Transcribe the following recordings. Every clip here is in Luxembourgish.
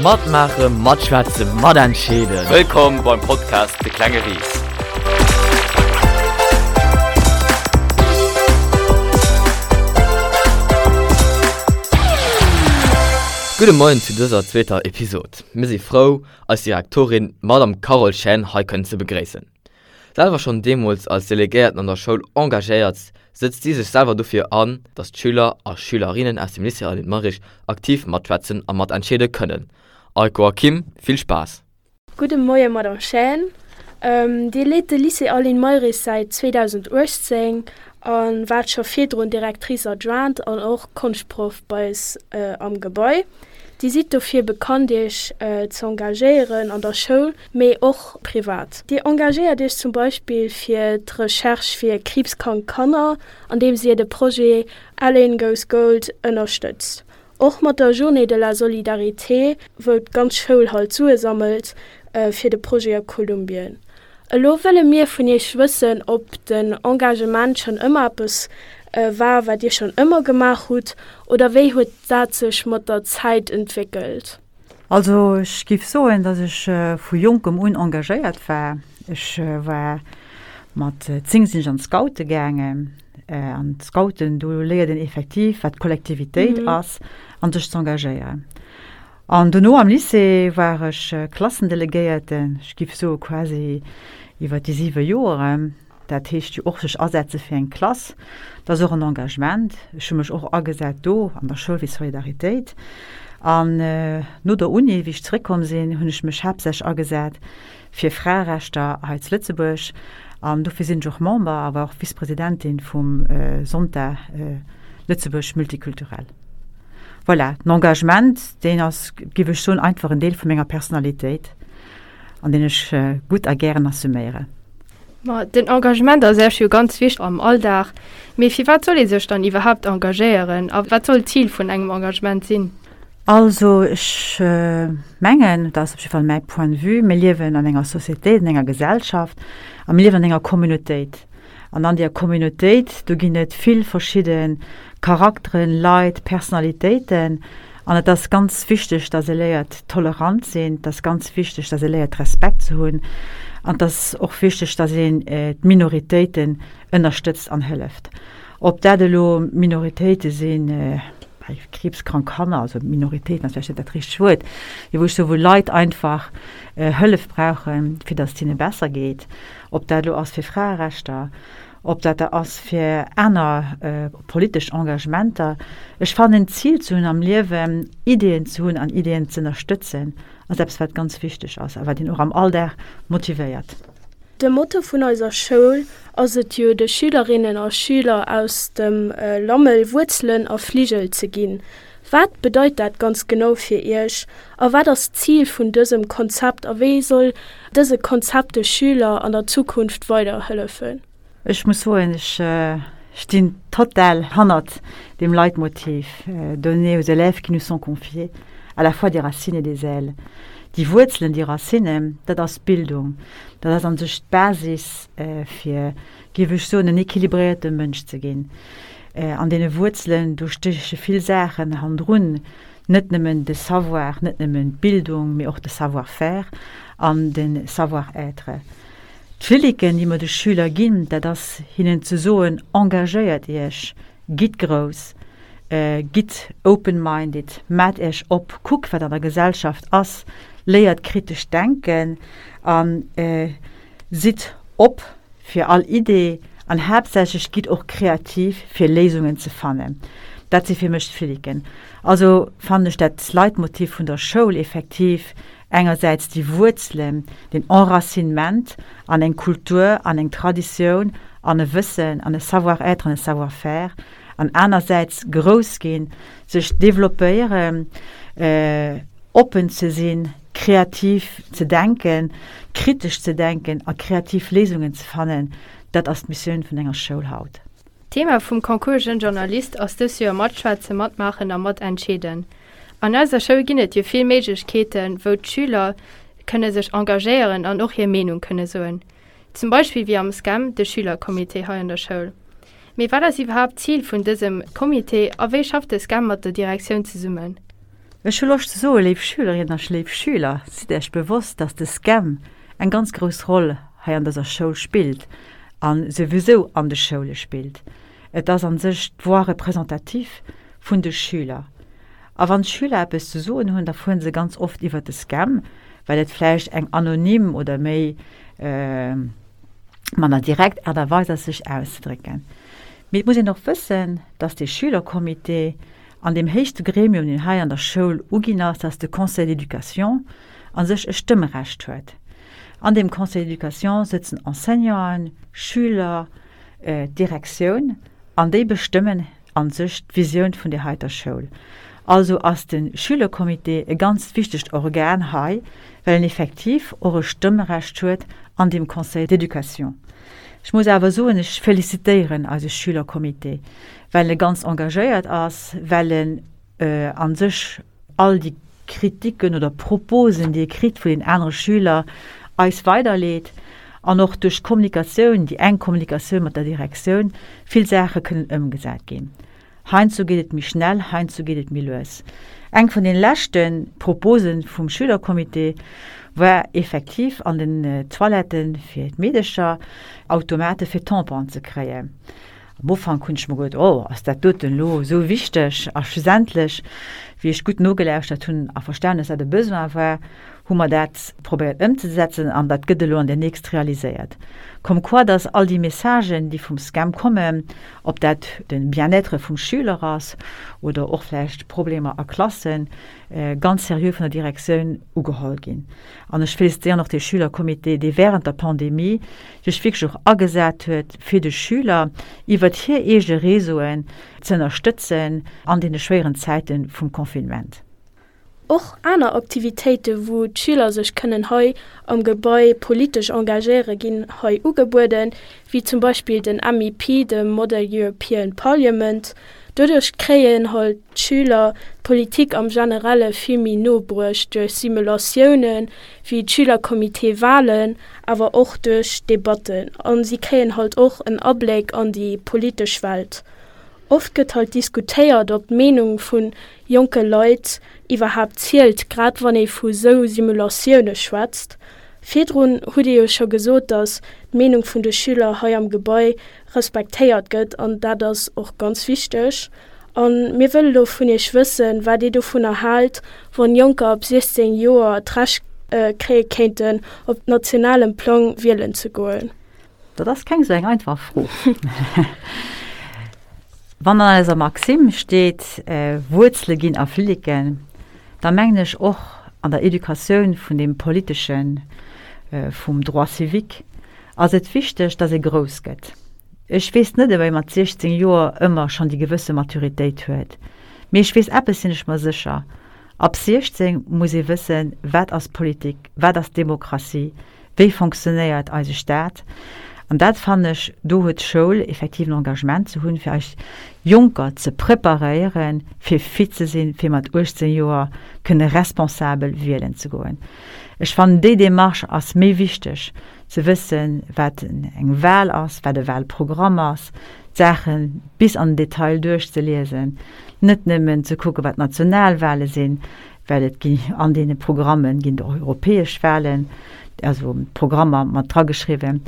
Matmaachen, matschwätzen, matentscheeden. Wëllkomm beim Podcast De klenge Ris. Gudde Moien zu dëser zweeter Episod. Mir si frou, eis Direktorin, d'Madame Carole Schen, hei kënnen ze begréissen. Selwer schonn deemools als Delegéierten an der Schoul engagéiert, sëtzt si sech selwer dofir an, datt d'Schüler a Schülerinnen aus dem Lycée Aline Mayrisch aktiv matschwätzen a matentscheede kënnen. Aiko a Kim, vill Spaass! Gudde Moie Madame Chaine. Dir leet de Lycée Aline Mayrisch säit 2018 a waart scho virdrun Directrice adjointe an och Konschtproff bei eis am Gebai. Dir sidd dofir bekannt Iech ze engagéieren an der Schoul, mee och privat. Dir engagéiert Iech zum Beispill fir d'Recherche fir kriibskrank Kanner, andeems Dir de Projet Aline Goes Gold ënnerstëtzt. Och mat der Journée de la Solidarité, wou d'ganz Schoul halt Sue sammelt fir de Projet a Kolumbien. Elo wëlle mir vun Iech wëssen, ob den Engagement schonn ëmmer eppes war, wat Dir schonn ëmmer gemaach hutt, oder wéi huet dat sech mat der Zäit entwéckelt? Also ech géif soen, datt ech vu jonkem un engagéiert war. Ech war mat 10 sinn ech an d'Scoute gaangen. An d'Scouten, do léiert een effektiv, wat Kollektivitéit ass an sech z'engagéieren. An dono am Lycée war ech Klassendelegéierten, ech giff soe quasi iwwer déi siwe Joeren. Dat heescht jo och sech asetze fir eng Klass, dat ass och en Engagement. Ech hu mech och agesat do an der Schoul fir Solidaritéit. An no der Uni, wéi ech zeréckkomm sinn, hunn ech mech haaptsächlech agesat fir Fraerechter hei zu Lëtzebuerg. An dofir sinn ech och Member a war och Vice-Presidentin vum Zonta Lëtzebuerg Multikulturell. Voilà, den Engagement, deen ass, géif ech soen, einfach en Deel vu menger Personalitéit an deen ech gutt a gären assuméieren. Ma den Engagement ass Iech jo ganz wichteg am Alldag. Mee firwat soll ee sech dann iwwerhaapt engagéieren a wat soll d'Zil vun engem Engagement sinn? Also ech mengen, dat ass op jidde Fall mäi Point de vue, mir liewen an enger Societéit, an enger Gesellschaft a mir liewen an enger Communautéit. An an deer Communautéit, do ginn et vill verschidde Charakteren, Leit, Personalitéiten. An et ass ganz wichteg, dass ee léiert tolerant sinn. Et ass ganz wichteg, dass ee léiert Respekt ze hunn. An et ass och wichteg, dass een d'Minoritéiten ënnerstëtzt an hëlleft. Ob dat elo Minoritéite sinn, bei kriibskrank Kanner, also Minoritéiten ass vläicht net dat richtegt Wuert, mee wou ech soen, wou Leit einfach Hëllef brauchen, fir dass et hinne besser geet. Ob dat elo ass fir Fraerechter, ob dat da ass fir aner politesch Engagementer. Ech fannen, en Zil ze hunn am Liewen, Ideeën ze hunn an Ideeën z'ënnerstëtzen, ass eppes, wat ganz wichteg ass a wat een och am Alldag motivéiert. De Motto vun eiser Schoul ass et jo, de Schülerinnen a Schüler aus dem Lammel Wuerzelen a Fligel ze ginn. Wat bedeit dat ganz genau fir Iech a wat ass d'Zil vun dësem Konzept a wéi soll dëse Konzept de Schüler an der Zukunft weiderhëllefen? Ech muss soen, ech stinn total hannert deem Leitmotiv, Donner aux élèves qui nous sont confiés à la fois des racines et des ailes. Déi Wuerzelen, déi Racinen, dat ass d'Bildung, dat ass a sech d'Basis fir géif ech soen, en équilibréierte Mënsch ze ginn. An deene Wuerzelen, do stéche vill Saachen hannendrun, net nëmmen de Savoir, net nëmmen d'Bildung, mee och de Savoir-faire an de Savoir-être. D'Flilleken, déi mer de Schüler ginn, dat ass hinnen ze soen, Engagéiert Iech, gitt grouss, gitt open-minded, maacht Iech op, kuckt, wat an der Gesellschaft ass, léiert kritesch denken a sidd op fir all Idee an haaptsächlech gitt och kreativ fir Léisungen ze fannen. Dat si fir mech d'Flilliken. Also fannen ech dat Leitmotiv vun der Schoul effektiv engersäits déi Wuerzelen, den Enracinement an eng Kultur, an eng Traditioun, an e Wëssen, an e Savoir-être an e Savoir-faire an anersäits grouss ginn, sech développéieren, oppen ze sinn, kreativ ze denken, kritesch ze denken a kreativ Léisungen ze fannen, dat ass d'Missioun vun enger Schoul haut. D'Thema vum Concours Jeune Journaliste ass dës Joer Matschwätzen, matmaachen a matentscheeden. An eiser Schoul ginn et jo vill Méiglechkeeten, wou d'Schüler kënne sech engagéieren an och hir Meenung kënne soen. Zum Beispill wéi am SCEM, de Schülercomité hei an der Schoul. Mee wat ass iwwerhaapt d'Zil vun dësem Comité a wéi schafft de SCEM mat der Direktioun zesummen? Ech hu Loscht ze soen, léif Schülerinnen a léif Schüler, sidd Iech bewosst, dass de SCEM eng ganz grouss Roll hei an dëser Schoul spillt a souwisou an de Schoule spillt. Et ass a sech d'Voix représentative vun de Schüler. A wann d'Schüler eppes ze soen hunn, da fueren se ganz oft iwwert de SCEM, well et vläicht eng anonym oder méi manner direkt Aart a Weis ass, sech auszedrécken. Mee et muss een och wëssen, dass dee Schülercomité an deem héchste Gremium, deen hei an der Schoul uginn ass, dat ass de Conseil d'éducation, a sech e Stëmmrecht huet. An deem Conseil d'éducation sëtzen Enseignanten, Schüler, d'Direktioun, an déi bestëmmen a sech d'Visioun vun där heiter Schoul. Also ass de Schülercomité e ganz wichtegt Organ hei, well en effektiv och e Stëmmrecht huet an deem Conseil d'éducation. Ech muss awer soen, ech felicitéieren eise Schülercomité, well e ganz engagéiert ass, well en a sech all déi Kritiken oder Proposen, déi e kritt vun den anere Schüler, eis weiderleet an och duerch d'Kommunikatioun, déi enk Kommunikatioun mat der Direktioun, vill Saache kënnen ëmgesat ginn. Heiansdo geet et méi schnell, heiansdo geet et méi lues. Eng vun den leschte Propose vum Schülercomité war effektiv an den Toiletten fir d'Meedecher Automate fir Tamponen ze kréien. Am Ufank hunn ech mer geduet, oh, ass dat doten elo esou wichteg? A schlussendlech, wéi ech gutt nogelauschtert hunn a verstanen, dass dat e Besoin war, hu mer dat probéiert ëmzesetzen an dat gëtt elo an der nächst realiséiert. Comme quoi, dass all déi Messagen, déi vum SCEM kommen, ob dat de Bien-être vum Schüler ass oder och vläicht Problemer a Klassen, ganz seriö vun der Direktioun ugeholl ginn. An ech félicitéieren och de Schülercomité, dee während der Pandemie sech wierklech och agesat huet, fir de Schüler iwwert hir eege Réseauen ze ënnerstëtzen an deene schwéieren Zäite vum Confinement. Och aner Aktivitéite wou d'Schüler sech kënnen hei am Gebai politesch engagéiere ginn hei ugebueden, wéi zum Beispill den MEP, de Model European Parliament. Doduerch kréien halt d'Schüler d'Politik am Generelle vill méi no bruecht duerch Simulatiounen, wéi d'Schülercomité-Walen, awer och duerch Debatten. A si kréien halt och en Abléck an déi politesch Welt. Oft gëtt halt diskutéiert, ob d'Meenung vu jonke Leit iwwerhaapt zielt, grad wann ee vu sou Simulatioune schwätzt. Virdrun hutt Dir jo scho gesot, datt d'Meenung vun de Schüler hei am Gebai respektéiert gëtt, an dat ass och ganz wichteg. A mir wëlle lo vun Iech wëssen, wat Dir dovunner haalt, wann Jonker ab 16 Joer d'Recht kréie kéinten, op nationalem Plang wielen ze goen. Dat ass keng esou eng einfach Fro. Wann an eiser Maxime steet, Wuerzele ginn a Flilleken, da mengen ech och an der Educatioun vun deem Politeschen, vum Droit civique, ass et wichteg, dass ee grouss gëtt. Ech weess net, ob ee mat 16 Joer ëmmer schonn déi gewësse Maturitéit huet, mee ech weess eppes, sinn ech mer sécher, Ab 16 muss ee wëssen, wat ass Politik, wat ass Demokratie, Wéi fonctionnéiert eise Staat? An dat fannen ech, do huet d'Schoul effektiv en Engagement ze hunn, fir eis Jonker ze preparéieren, fir fit ze sinn, fir mat 18 Joer kënne responsabel wielen ze goen. Ech fannen, déi Démarche ass méi wichteg, ze wëssen, wat eng Wahl ass, wat e Wahlprogramm ass, d'Saache bis an den Detail duerchzeliesen, net nëmmen ze kucken, wat d'Nationalwahle sinn, well et gi an deene Programme ginn och europäesch Wahlen, also Programmer mat drageschriwwen.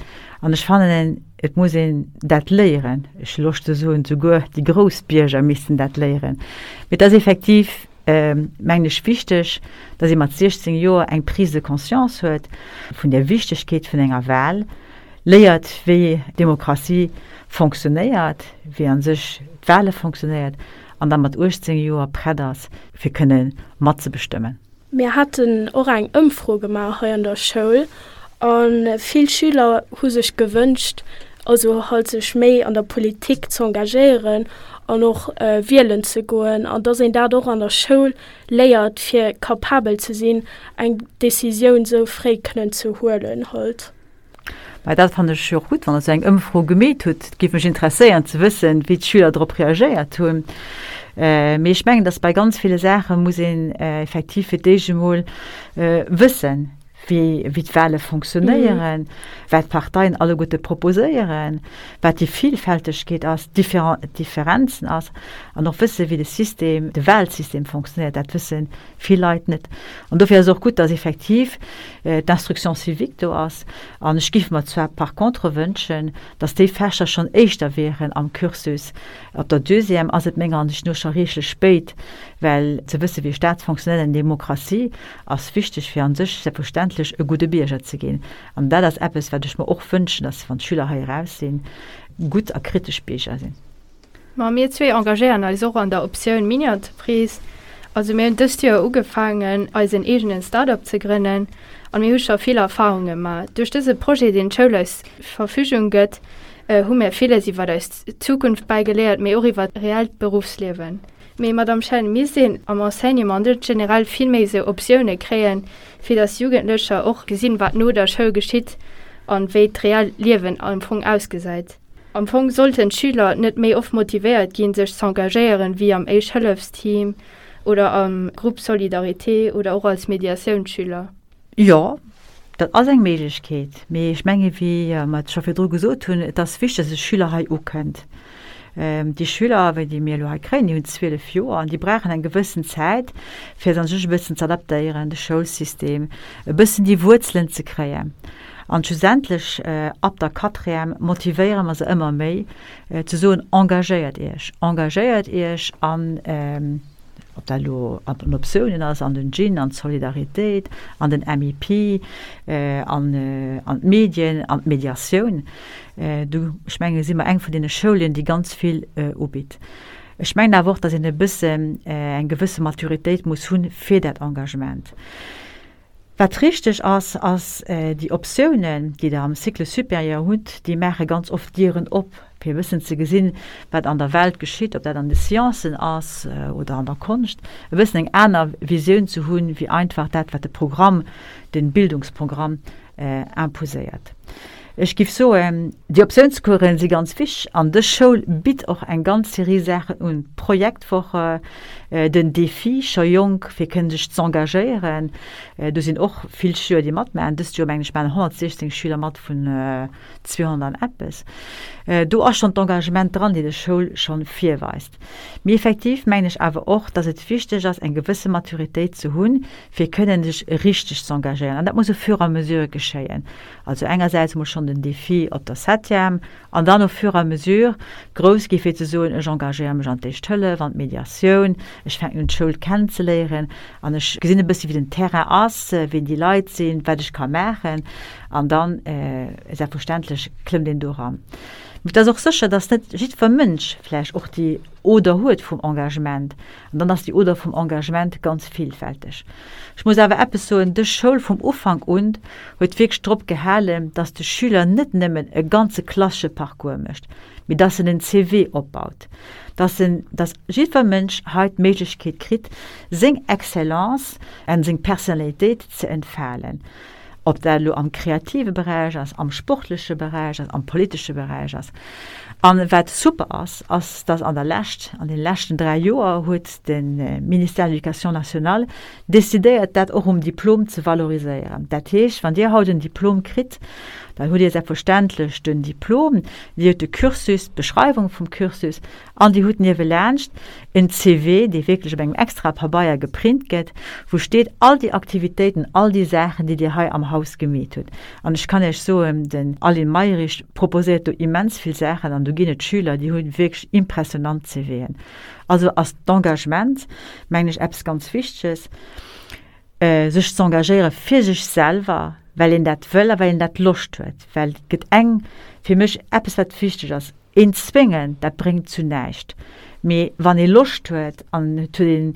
An ech fannen, et muss een dat léieren. Ech hu Loscht ze soen, souguer déi grouss Bierger missten dat léieren. Mee et ass effektiv, mengen ech, wichteg, datt ee mat 16 Joer eng Prise de conscience huet vun der Wichtegkeet vun enger Wahl, léiert, wéi Demokratie fonctionnéiert, wéi a sech d'Wahle fonctionnéiert an da mat 18 Joer prett ass, fir kënne matzebestëmmen. Mir haten och eng Ëmfro gemaach hei an der Schoul a vill Schüler hu sech gewënscht, also halt sech méi an der Politik z'engagéieren an och wielen ze goen an dass een dat och an der Schoul léiert, fir capabel ze sinn, eng Decisioun sou fréi kënnen ze huelen halt. Mä dat fannen ech jo och gutt, wann Der esou eng Ëmfro gemeet hutt. Et géif mech interesséieren ze wëssen, wéi d'Schüler drop reagéiert hunn. Mee ech mengen, datt bei ganz ville Saache muss een effektiv fir d'éischt emol wëssen, Wéi wéi d'Wahle fonctionnéieren, wat d'Parteien alleguerte proposéieren, wat déi Vielfältegkeet ass, d'Differenzen ass an och wësse wéi de System, de Wahlsystem fonctionnéiert, dat wësse vill Leit net. An dofir ass et och gutt, dass effektiv d'Instruction civique do ass. An ech géif mer zwar par contre wënschen, dass déi Fächer schonn éischter wieren am Cursus. Op der Deuxième ass et menger Ansicht no scho riechlech spéit, well ze wësse wéi e Staat fonctionnéiert, eng Demokratie, ass wichteg fir an sech selbstverständlech e gudde Bierger ze ginn. An dat ass eppes, wat ech mer och wënschen, dass wann d'Schüler hei eraus sinn, gutt a kritesch Bierger sinn. Ma mir zwee engagéieren eis och an der Optioun Mini-Entreprise. Also mir hunn dëst Joer ugefaangen eisen eegenen Start-up ze grënnen an mir hu scho vill Erfarunge ma. Duerch dëse Projet deen d'Schoul eis Verfügung gëtt, hu mir villes iwwert eis Zukunft bäigeléiert, mee och iwwert reellt Beruffsliewen. Mee Madamm Schen, misst een am Enseignement net generell vill méi esou Optioune kréien, fir datt Jugendlecher och gesinn, wat no der Schoul geschitt an wéi d'reellt Liewen am Fong ausgesäit? Am Fong sollten d'Schüler net méi oft motivéiert ginn, sech z'engagéieren, wéi am Éischt-Hëllefs-Team oder am Groupe Solidarité oder och als Mediatiounsschüler? Jo, dat ass eng Méiglechkeet. Mee ech menge wéi mer et scho virdru gesot hunn, et ass wichteg, dass e Schüler hei ukënnt. Déi Schüler, wéi déi mir elo hei kréien, déi hunn 12 Joer an déi brauchen eng gewëssen Zäit, fir sech e bëssen ze adaptéieren, de Schoulsystem, e bëssen déi Wuerzelen ze kréien. An schlussendlech, ab der Quatrième, motivéiere mer se ëmmer méi, ze soen, Engagéiert Iech, engagéiert Iech an, Ob dat elo an den Optiounen ass, an den Gin, an d'Solidaritéit, an den MIP, an an d'Medien, an d'Mediatioun. Do, ech menge si mer eng vun deene Schoulen, déi ganz vill ubitt. Ech mengen awer och, datt een e bëssen eng gewësse Maturitéit muss hunn fir dat Engagement. Wat richteg ass, ass, déi Optiounen, déi Der am Cycle supérieur hutt, déi maache ganz oft Dieren op, fir e bëssen ze gesinn, wat an der Welt geschitt, ob dat an de Sciencen ass oder an der Konscht, e bëssen eng aner Visioun ze hunn, wéi einfach dat, wat de Programm, de Bildungsprogramm imposéiert. Ech giff soen, déi Optiounscoursen si ganz wichteg an dës Schoul bitt och eng ganz Serie Saachen un, d'Projektwoche, den Défi scho jonk fir kënnen sech z'engagéieren. Do sinn och vill Schüler déi matmaachen. Dëst Joer mengen ech maachen 116 Schüler mat vun 200 an eppes. Do ass schonn d'Engagement dran, déi des Schoul schonn virweist. Mee effektiv mengen ech awer och, dass et wichteg ass eng gewësse Maturitéit ze hunn, fir kënnen sech richteg z'engagéieren. An dat muss au fur et à mesure geschéien. Also engersäits emol schonn den Défi op der Septième an dann au fur et à mesure grouss gi fir ze soen, ech engagéiere mech an d'Éischt Hëllef, an d'Mediatioun, ech fänken un d'Schoul kennenzeléieren an ech gesinn e bëssi wéi den Terrain ass, wien déi Leit sinn, wat ech ka maachen an dann selbstverständlech klëmmt een do eran. Mee et ass och sécher, dass net jiddwer Mënsch vläicht och déi Oder huet vum Engagement. An dann ass déi Oder vum Engagement ganz villfälteg. Ech muss awer eppes soen, Dës Schoul vum Ufank un huet wierklech drop gehalen, dass de Schüler net nëmmen e ganze klassesche Parcours mécht, mee dass en en CV opbaut, dass en, dass jiddwer Mënsch hei d'Méiglechkeet kritt, seng Excellence an seng Personnalitéit ze entfalen. Ob dat elo am kreative Beräich ass, am sportleche Beräich ass, am politesche Beräich ass. A wat super ass, ass, dass an der Lescht, an deene leschten 3 Joer huet de Ministère de l'Éducation nationale decidéiert, dat och um Diplom ze valoriséieren. Dat heescht, wann Dir haut en Diplom kritt, dann hutt Dir selbstverständlech den Diplom, Dir hutt de Cursus, d'Beschreiwung vum Cursus An Dir hutt niewelaanscht en CV, dee wierklech op engem extrae Pabeier geprint gëtt, wou steet all déi Aktivitéiten, all déi Saachen, déi Dir hei am Haus gemeet hutt. An ech kann Iech soen, den Aline Mayrisch proposéiert do immens vill Saachen an do ginn et Schüler, déi hu wierklech impressionant CVen. Also ass d'Engagement, mengen ech, eppes ganz Wichteges, sech z'engagéiere fir sech selwer, well een dat wëll a well een dat Loscht huet. Well et gëtt eng, fir mech eppes, wat wichteg ass, Een zwéngen, dat bréngt zu näischt. Mee wann ee Loscht huet an et huet een,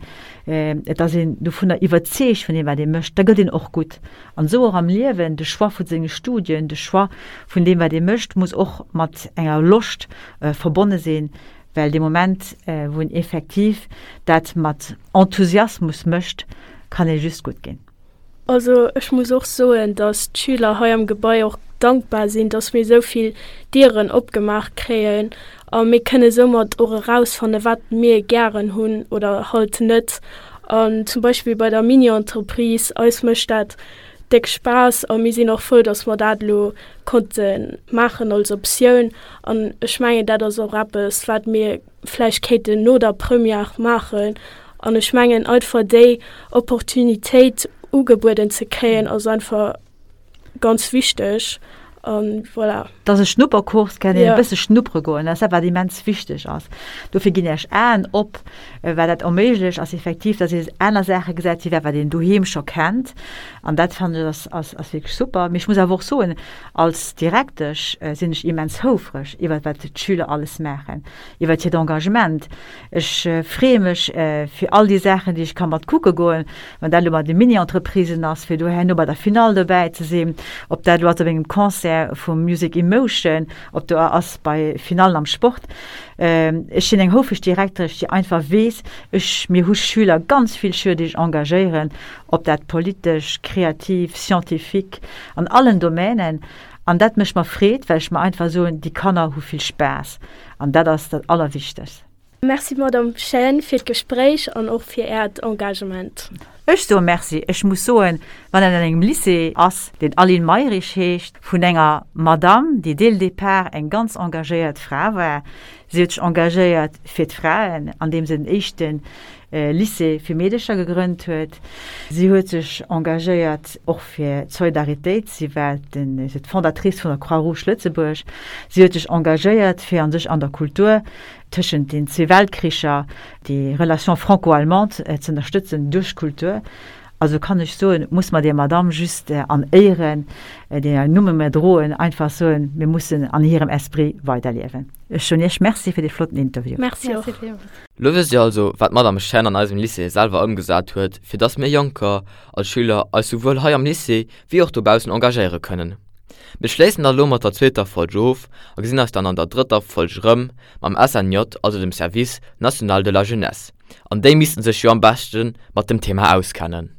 et ass een dovunner iwwerzeegt vun deem wat ee mécht, da gëtt een och gutt. An esou och am Liewen, de Choix vu senge Studien, de Choix vun deem wat ee mécht, muss och mat enger Loscht verbonne sinn, well dee Moment wou een effektiv dat mat Enthusiasmus mécht, kann ee just gutt ginn. Also ech muss och soen, dass d'Schüler hei am Gebai och dankbar sinn, dass mir esou vill Dieren opgemaach kréien a mir kënne soumat och erausfanne wat mir gären hunn oder halt net. An zum Beispill bei der Mini-Entreprise, eis mécht dat. déck Spaass a mir sinn och frou, dass mer dat elo konnte maachen als Optioun. An ech mengen, dat ass och eppes, wat mir vläicht kéinten no der Première maachen. An ech mengen, einfach déi Opportunitéit ugebueden ze kréien, ass einfach ganz wichteg. An voilà. Dass e Schnupperkurs kann een e bësse schnuppere goen, dat ass dat, wat immens wichteg ass. Dofir ginn Iech Aen op, wat dat erméiglecht, ass effektiv, dass ee aner Saache gesäit, wéi dat, wat een doheem scho kennt. An dat fannen ech ass, ass, ass wierklech super. Mee ech muss awer och soen, als Direktesch sinn ech immens houfreg iwwert wat d'Schüler alles maachen, iwwert hiert Engagement. Ech freeë mech fir all déi Saachen, déi ech ka mat kucke goen, wann dat elo bei de Mini-Entreprisen ass, fir do herno bei der Finale dobäi ze sinn, ob dat elo ass op engem Concert vu Music in Motion, ob do ass bei Finallen am Sport. Ech sinn eng houfreg Direktesch, déi einfach weess, ech, mir hu Schüler, ganz vill Schüler, déi sech engagéieren, ob dat politesch, kreativ, scientifique, an allen Domänen. An dat mécht mer Freed, well ech mer einfach soen, déi Kanner hu vill Spaass. An dat ass dat Allerwichtegst. Merci Madame Schen fir d'Gespréich an och fir Äert Engagement. Ech soe Merci. Ech muss soen, wann een an engem Lycée ass, deen Aline Mayrisch heescht, vun enger Madame, déi dès le départ eng ganz engagéiert Fra war, si huet sech engagéiert fir d'Fraen, andeem se den éischte Lycée fir Meedecher gegrënnt huet. Si huet sech engagéiert och fir d'Solidaritéit, si war d'Fondatrice vun der Croix-Rouge Lëtzebuerg. Si huet sech engagéiert fir a sech an der Kultur tëschent den zwee Weltkricher déi Relation franco-allemande z'ënnerstëtzen duerch d'Kultur. Also kann ech soen, muss mer där Madamm just an Éieren, deer Numm mer droen, einfach soen, mir mussen an hirem Esprit weiderliewen. Ech soen Iech Merci fir dee flotten Interview. Merci och. Lo wësst Dir also, wat d'Madame Schen an eisem Lycée selwer ëmgesat huet, fir dass mir Jonker als Schüler eis souwuel hei am Lycée wéi och dobaussen engagéiere kënnen. Mir schléissen da lo mat der zweeter Folg of a gesinn eis dann an der drëtter Folg erëm mam SNJ, also dem Service National de la Jeunesse. An déi missten sech jo am beschte mat dem Thema auskennen.